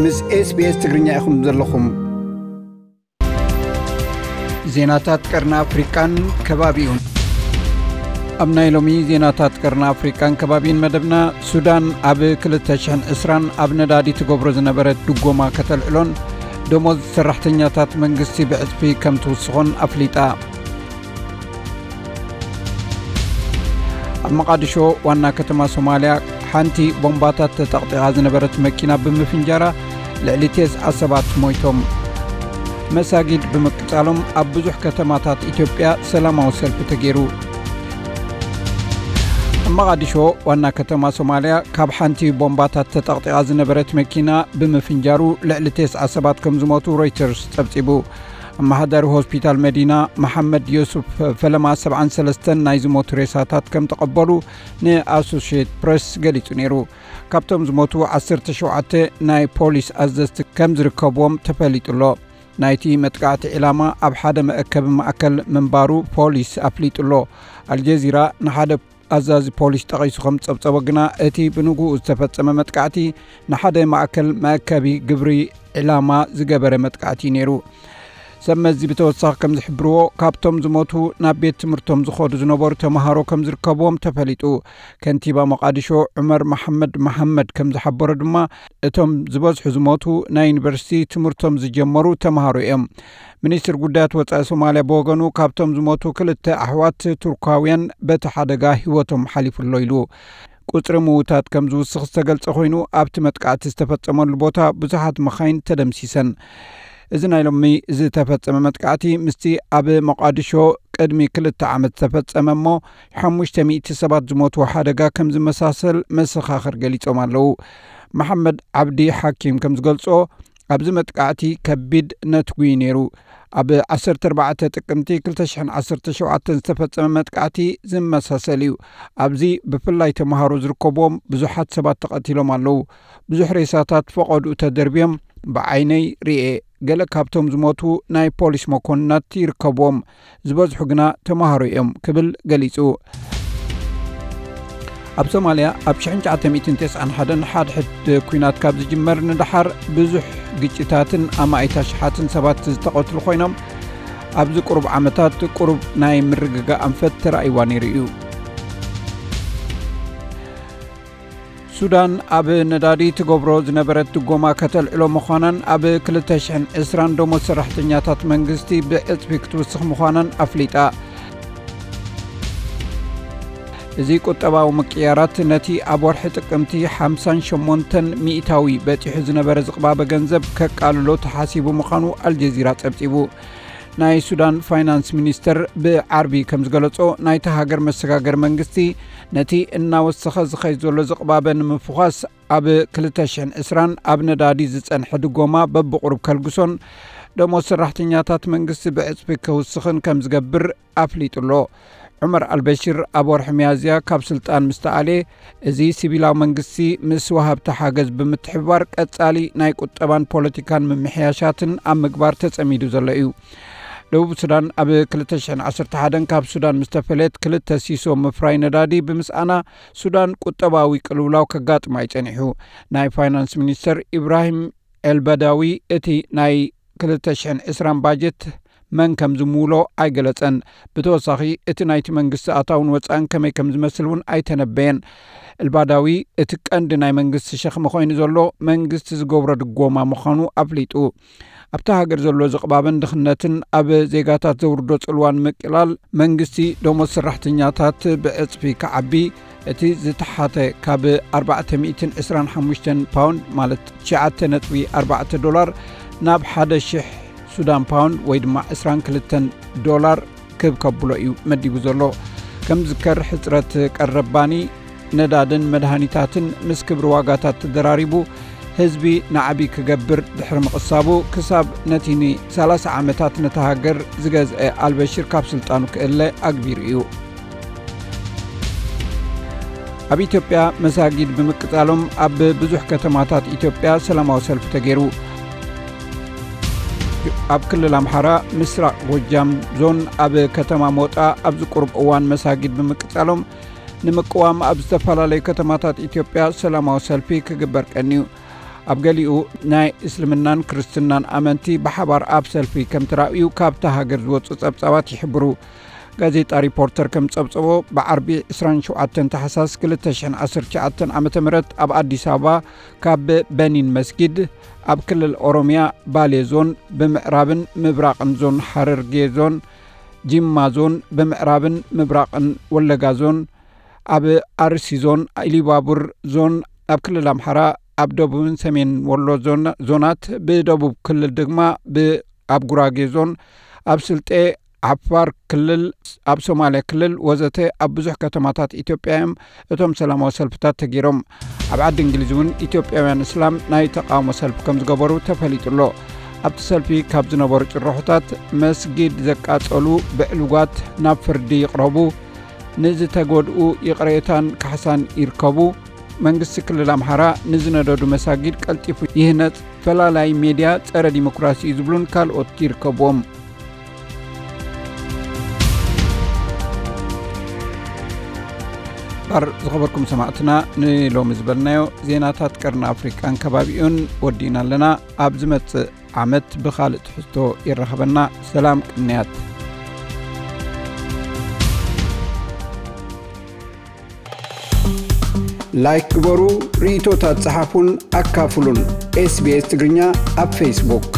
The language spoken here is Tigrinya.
ምስ SBS ትግርኛ ኢኹም ዘለኹም። ዜናታት ቀርኒ ኣፍሪቃን ከባቢኡን። ኣብ ናይ ሎሚ ዜናታት ቀርኒ ኣፍሪቃን ከባቢን መደብና፣ ሱዳን ኣብ ክልተ ሽሕን ዕስራን ኣብ ነዳዲ ትገብሮ ዝነበረት ድጎማ ከተልዕሎን ደሞዝ ሰራሕተኛታት መንግስቲ ብዕጽፊ ከም ትውስኾን ኣፍሊጣ። ኣብ መቓድሾ ዋና ከተማ ሶማልያ ሓንቲ ቦምባታት ተጠቕጢቓ ዝነበረት መኪና ብምፍንጃራ ልዕሊ ተስዓ ሰባት ሞይቶም። መሳጊድ ብምቅጻሎም ኣብ ብዙሕ ከተማታት ኢትዮጵያ ሰላማዊ ሰልፊ ተገይሩ። ኣብ መቓድሾ ዋና ከተማ ሶማልያ ካብ ሓንቲ ቦምባታት ተጠቕጢቓ ዝነበረት መኪና ብምፍንጃሩ ልዕሊ ተስዓ ሰባት ከም ዝሞቱ ሮይተርስ ጸብጺቡ። ኣመሓዳሪ ሆስፒታል መዲና መሓመድ ዮሱፍ ፈለማ ሰብዓን ሰለስተን ናይ ዝሞቱ ሬሳታት ከም ተቐበሉ ንኣሶሽየትድ ፕሬስ ገሊጹ ነይሩ። ካብቶም ዝሞቱ ዓሰርተ ሸውዓተ ናይ ፖሊስ ኣዘዝቲ ከም ዝርከብዎም ተፈሊጡ ኣሎ። ናይቲ መጥቃዕቲ ዒላማ ኣብ ሓደ መእከቢ ማእከል ምንባሩ ፖሊስ ኣፍሊጡ ኣሎ። ኣልጀዚራ ንሓደ ኣዛዚ ፖሊስ ጠቒሱ ከም ዝጸብጸቦ ግና፣ እቲ ብንግኡ ዝተፈጸመ መጥቃዕቲ ንሓደ ማእከል መእከቢ ግብሪ ዒላማ ዝገበረ መጥቃዕቲ እዩ ነይሩ። ሰብ መዚ ብተወሳኺ ከም ዝሕብርዎ፣ ካብቶም ዝሞቱ ናብ ቤት ትምህርቶም ዝኸዱ ዝነበሩ ተምሃሮ ከም ዝርከብዎም ተፈሊጡ። ከንቲባ መቓድሾ ዑመር መሓመድ መሓመድ ከም ዝሓበሮ ድማ፣ እቶም ዝበዝሑ ዝሞቱ ናይ ዩኒቨርሲቲ ትምህርቶም ዝጀመሩ ተምሃሮ እዮም። ሚኒስትር ጉዳያት ወጻኢ ሶማልያ ብወገኑ፣ ካብቶም ዝሞቱ ክልተ ኣሕዋት ቱርካውያን በቲ ሓደጋ ህይወቶም ሓሊፉ ኣሎ ኢሉ። ቁጽሪ ምዉታት ከም ዝውስኽ ዝተገልጸ ኮይኑ፣ ኣብቲ መጥቃዕቲ ዝተፈጸመሉ ቦታ ብዙሓት መኻይን ተደምሲሰን። እዚ ናይ ሎሚ ዝተፈጸመ መጥቃዕቲ ምስቲ ኣብ መቓድሾ ቅድሚ ክልተ ዓመት ዝተፈጸመ እሞ ሓሙሽተ ሚእቲ ሰባት ዝሞትዎ ሓደጋ ከም ዝመሳሰል መሰኻኽር ገሊጾም ኣለዉ። መሓመድ ዓብዲ ሓኪም ከም ዝገልጾ፣ ኣብዚ መጥቃዕቲ ከቢድ ነትጒ እዩ ነይሩ። ኣብ ዓሰርተ ኣርባዕተ ጥቅምቲ ክልተ ሽሕን ዓሰርተ ሸውዓተን ዝተፈጸመ መጥቃዕቲ ዝመሳሰል እዩ። ኣብዚ ብፍላይ ተምሃሮ ዝርከብዎም ብዙሓት ሰባት ተቐቲሎም ኣለዉ። ብዙሕ ሬሳታት ፈቐድኡ ተደርብዮም ብዓይነይ ርእየ። ገለ ካብቶም ዝሞቱ ናይ ፖሊስ መኮንናት ይርከብዎም። ዝበዝሑ ግና ተምሃሮ እዮም ክብል ገሊጹ። ኣብ ሶማልያ ኣብ ሽሕን ትሽዓተ ሚእትን ተስዓን ሓደን ሓድሕድ ኲናት ካብ ዝጅመር ንደሓር ብዙሕ ግጭታትን ኣማኢት ኣሽሓትን ሰባት ዝተቐትሉ ኮይኖም፣ ኣብዚ ቁሩብ ዓመታት ቁሩብ ናይ ምርግጋእ ኣንፈት ተራእይዋ ነይሩ እዩ። ሱዳን ኣብ ነዳዲ ትገብሮ ዝነበረት ድጎማ ከተልዕሎ ምዃናን ኣብ ክልተ ሽሕን ዕስራን ደሞዝ ሰራሕተኛታት መንግስቲ ብዕጽፊ ክትውስኽ ምዃናን ኣፍሊጣ። እዚ ቁጠባዊ ምቅያራት ነቲ ኣብ ወርሒ ጥቅምቲ ሓምሳን ሸሞንተን ሚእታዊ በጺሑ ዝነበረ ዝቕባበ ገንዘብ ከቃልሎ ተሓሲቡ ምዃኑ ኣልጀዚራ ጸብጺቡ። ናይ ሱዳን ፋይናንስ ሚኒስተር ብዓርቢ ከም ዝገለጾ፣ ናይታ ሃገር መሰጋገሪ መንግስቲ ነቲ እናወሰኸ ዝኸይድ ዘሎ ዝቕባበ ንምፍዃስ ኣብ ክልተ ሽሕን ዕስራን ኣብ ነዳዲ ዝጸንሐ ድጎማ በብቑሩብ ከልግሶን ደሞዝ ሰራሕተኛታት መንግስቲ ብዕጽፊ ክውስኽን ከም ዝገብር ኣፍሊጡ ኣሎ። ዑመር ኣልበሽር ኣብ ወርሒ ሚያዝያ ካብ ስልጣን ምስ ተኣልየ፣ እዚ ሲቪላዊ መንግስቲ ምስ ወሃብቲ ሓገዝ ብምትሕብባር ቀጻሊ ናይ ቁጠባን ፖለቲካን ምምሕያሻትን ኣብ ምግባር ተጸሚዱ ዘሎ እዩ። ደቡብ ሱዳን ኣብ ክልተ ሽሕን ዓሰርተ ሓደን ካብ ሱዳን ምስ ተፈለየት፣ ክልተ ሲሶ ምፍራይ ነዳዲ ብምስኣና፣ ሱዳን ቁጠባዊ ቅልውላው ከጋጥማ እዩ ጸኒሑ። ናይ ፋይናንስ ሚኒስተር ኢብራሂም ኤልበዳዊ፣ እቲ ናይ ክልተ ሽሕን ዕስራን ባጀት መን ከም ዝምውሎ ኣይገለጸን። ብተወሳኺ፣ እቲ ናይቲ መንግስቲ ኣታውን ወጻእን ከመይ ከም ዝመስል እውን ኣይተነበየን። ኤልባዳዊ፣ እቲ ቀንዲ ናይ መንግስቲ ሸኽሚ ኮይኑ ዘሎ መንግስቲ ዝገብሮ ድጎማ ምዃኑ ኣፍሊጡ። ኣብታ ሃገር ዘሎ ዝቕባበን ድኽነትን ኣብ ዜጋታት ዘውርዶ ጽልዋን ምቅላል መንግስቲ ደሞዝ ሰራሕተኛታት ብዕጽፊ ክዓቢ፣ እቲ ዝተሓተ ካብ ኣርባዕተ ሚእትን ዕስራን ሓሙሽተን ፓውንድ፣ ማለት ትሽዓተ ነጥቢ ኣርባዕተ ዶላር፣ ናብ ሓደ ሽሕ ሱዳን ፓውንድ ወይ ድማ ዕስራን ክልተን ዶላር ክብ ከብሎ እዩ መዲቡ ዘሎ። ከም ዝከር ሕጽረት ቀረብ ባኒ፣ ነዳድን መድሃኒታትን ምስ ክብሪ ዋጋታት ተደራሪቡ ህዝቢ ናዕቢ ክገብር ድሕሪ ምቕሳቡ፣ ክሳብ ነቲ ንሰላሳ ዓመታት ነታ ሃገር ዝገዝአ ኣልበሽር ካብ ስልጣኑ ክእለ ኣግቢሩ እዩ። ኣብ ኢትዮጵያ መሳጊድ ብምቅጻሎም ኣብ ብዙሕ ከተማታት ኢትዮጵያ ሰላማዊ ሰልፊ ተገይሩ። ኣብ ክልል ኣምሓራ ምስራቕ ጎጃም ዞን ኣብ ከተማ ሞጣ ኣብዚ ቁሩብ እዋን መሳጊድ ብምቅጻሎም ንምቅዋም ኣብ ዝተፈላለዩ ከተማታት ኢትዮጵያ ሰላማዊ ሰልፊ ክግበር ቀንዩ። ኣብ ገሊኡ ናይ እስልምናን ክርስትናን ኣመንቲ ብሓባር ኣብ ሰልፊ ከም ተራእዩ ካብታ ሃገር ዝወጹ ጸብጻባት ይሕብሩ። ጋዜጣ ሪፖርተር ከም ጸብጸቦ፣ ብዓርቢ ዕስራን ሸውዓተን ታሕሳስ ክልተ ሽሕን ዓሰርተ ትሽዓተን ዓመተ ምህረት ኣብ ኣዲስ ኣበባ ካብ በኒን መስጊድ ኣብ ክልል ኦሮሚያ ባሌ ዞን ብምዕራብን ምብራቕን ዞን ሓረርጌ ዞን ጂማ ዞን ብምዕራብን ምብራቕን ወለጋ ዞን ኣብ ኣርሲ ዞን ኢሉባቡር ዞን ኣብ ክልል ኣምሓራ ኣብ ደቡብን ሰሜን ወሎ ዞን ዞናት ብደቡብ ክልል ድማ ብ ኣብ ጉራጌ ዞን ኣብ ስልጤ ዓፋር ክልል ኣብ ሶማሊያ ክልል ወዘተ ኣብ ብዙሕ ከተማታት ኢትዮጵያ እዮም እቶም ሰላማዊ ሰልፍታት ተገይሮም። ኣብ ዓዲ እንግሊዝ እውን ኢትዮጵያውያን እስላም ናይ ተቃውሞ ሰልፊ ከም ዝገበሩ ተፈሊጡ ኣሎ። ኣብቲ ሰልፊ ካብ ዝነበሩ ጭርሖታት መስጊድ ዘቃጸሉ ብዕሉጋት ናብ ፍርዲ ይቕረቡ፣ ንዝተጎድኡ ይቕሬታን ካሕሳን ይርከቡ፣ መንግስቲ ክልል ኣምሓራ ንዝነደዱ መሳጊድ ቀልጢፉ ይህነጽ፣ ፈላላይ ሜድያ ጸረ ዲሞክራሲ እዩ ዝብሉን ካልኦት ይርከብዎም። ባር ዝኸበርኩም ሰማዕትና ንሎሚ ዝበልናዮ ዜናታት ቀርኒ ኣፍሪቃን ከባቢኡን ወዲእና ኣለና። ኣብ ዝመጽእ ዓመት ብኻልእ ትሕዝቶ ይራኸበና። ሰላም ቅንያት። ላይክ ግበሩ፣ ርእይቶታት ጸሓፉን ኣካፍሉን። SBS ትግርኛ ኣብ ፌስቡክ።